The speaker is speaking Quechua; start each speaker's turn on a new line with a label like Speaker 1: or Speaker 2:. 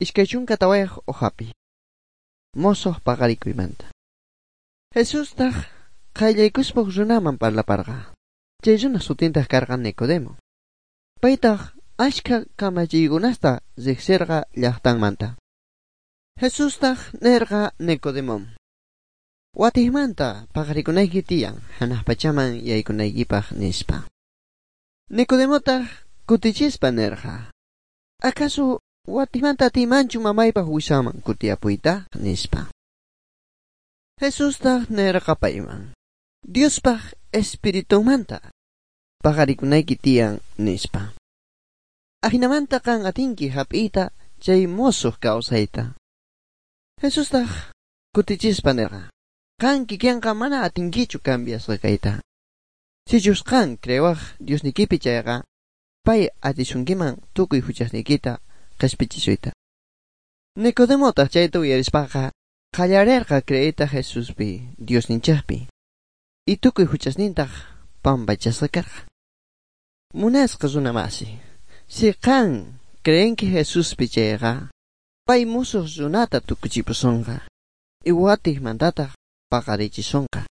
Speaker 1: 24 uhapi. Mosoq paqarikuymanta. Jesustaq qayllaykuspa runaman parlaparqa. Chay runa sutintaq karqa Nicodemo. Paytaq achka kamachiykunasta riqsirqa llaqtanmanta. Jesustaq nirqa Nicodemom: Watiqmanta paqarikunayki tiyan hanaq pachaman yaykunaykipaq, nispa. Nicodemotaq kutichispa nirqa: ¿Acaso watiqmanta atiymanchu mamaypaq wiksanman kutiyapuyta? Nispa. Jesustaq nirqa payman: Diospaq Espiritunmanta paqarikunayki tiyan, nispa. Ajinamanta qan atinki hap'iyta chay mosoq kawsayta. Jesustaq kutichispa nirqa: Qan kikinqa mana atinkichu cambiasqa kayta. Sichus qan creewaq Diosniykipi chayqa, pay atisunkiman tukuy huchasniykita qhispichisuyta. Nicodemotaq chayta uyarispaqa qallarirqa creeyta Jesuspi, Diosninchikpi. Y tukuy huchasnintaq pampachasqa karqa. Munasqa runa masi, si qan creenki Jesuspi chayqa, pay musuq runata tukuchipusunqa, y watiqmantataq paqarichisonqa.